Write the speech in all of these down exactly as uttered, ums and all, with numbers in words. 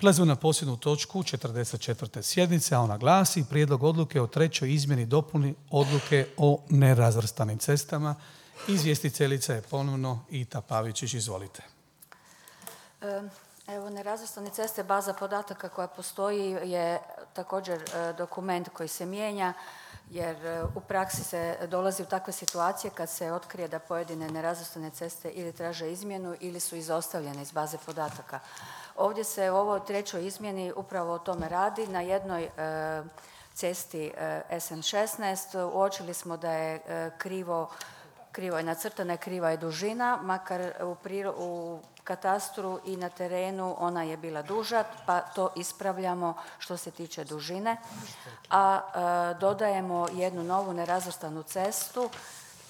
Prelazimo na posljednju točku četrdeset četvrte sjednice, a ona glasi prijedlog odluke o trećoj izmjeni i dopuni odluke o nerazvrstanim cestama. Izvjestiteljica je ponovno Ita Pavičić, izvolite. Evo, nerazvrstane ceste, baza podataka koja postoji je također dokument koji se mijenja, jer u praksi se dolazi u takve situacije kad se otkrije da pojedine nerazvrstane ceste ili traže izmjenu ili su izostavljene iz baze podataka. Ovdje se u ovoj trećoj izmjeni upravo o tome radi. Na jednoj e, cesti e, S N šesnaest uočili smo da je e, krivo, krivo je nacrtana, kriva je dužina, makar u, priro, u katastru i na terenu ona je bila duža, pa to ispravljamo što se tiče dužine, a e, dodajemo jednu novu nerazvrstanu cestu.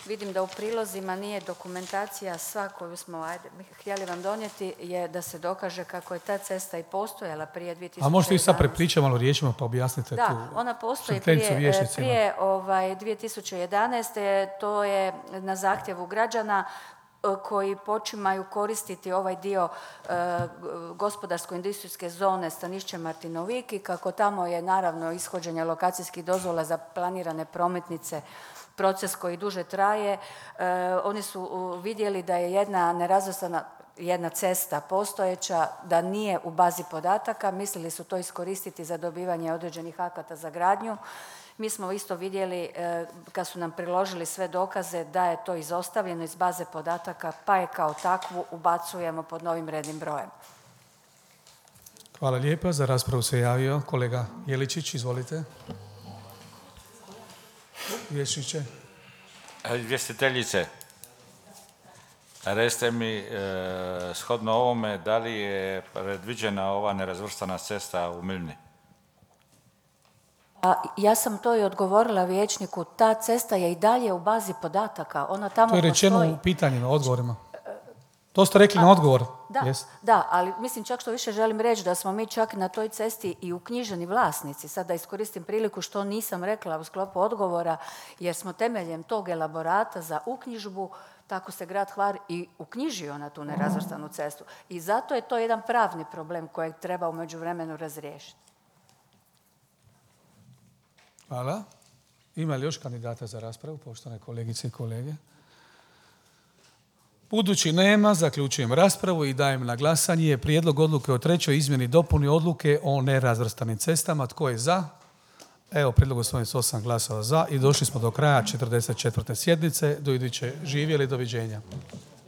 Vidim da u prilozima nije dokumentacija sva koju smo ajde, htjeli vam donijeti, je da se dokaže kako je ta cesta i postojala prije dvije tisuće jedanaeste. A možete i sad prepričati malo riječima pa objasnite da, tu Da, ona postoji prije, prije ovaj, dvije tisuće jedanaeste. To je na zahtjevu građana koji počimaju koristiti ovaj dio e, gospodarsko-industrijske zone Stanišće Martinovik i kako tamo je naravno ishođenje lokacijskih dozvola za planirane prometnice proces koji duže traje. E, oni su vidjeli da je jedna nerazvrstana jedna cesta postojeća, da nije u bazi podataka, mislili su to iskoristiti za dobivanje određenih akata za gradnju. Mi smo isto vidjeli e, kad su nam priložili sve dokaze da je to izostavljeno iz baze podataka, pa je kao takvu ubacujemo pod novim rednim brojem. Hvala lijepa. Za raspravu se javio kolega Jeličić, izvolite. Vječniče. Izvjestiteljice, recite mi e, shodno ovome da li je predviđena ova nerazvrstana cesta u Milni? A ja sam to i odgovorila vijećniku, ta cesta je i dalje u bazi podataka. Ona tamo to je rečeno postoji. U pitanjima, odgovorima. To ste rekli A, na odgovor. Da, yes. da, ali mislim čak što više želim reći da smo mi čak na toj cesti i uknjiženi vlasnici. Sad da iskoristim priliku što nisam rekla u sklopu odgovora, jer smo temeljem tog elaborata za uknjižbu, tako se grad Hvar i uknjižio na tu nerazvrstanu cestu. I zato je to jedan pravni problem kojeg treba u međuvremenu razriješiti. Hvala. Ima li još kandidata za raspravu, poštovane kolegice i kolege? Budući nema, zaključujem raspravu i dajem na glasanje prijedlog odluke o trećoj izmjeni i dopuni odluke o nerazvrstanim cestama. Tko je za? Evo, prijedlog usvojen s osam glasova za i došli smo do kraja četrdeset četvrte sjednice. Do iduće živjeli, doviđenja.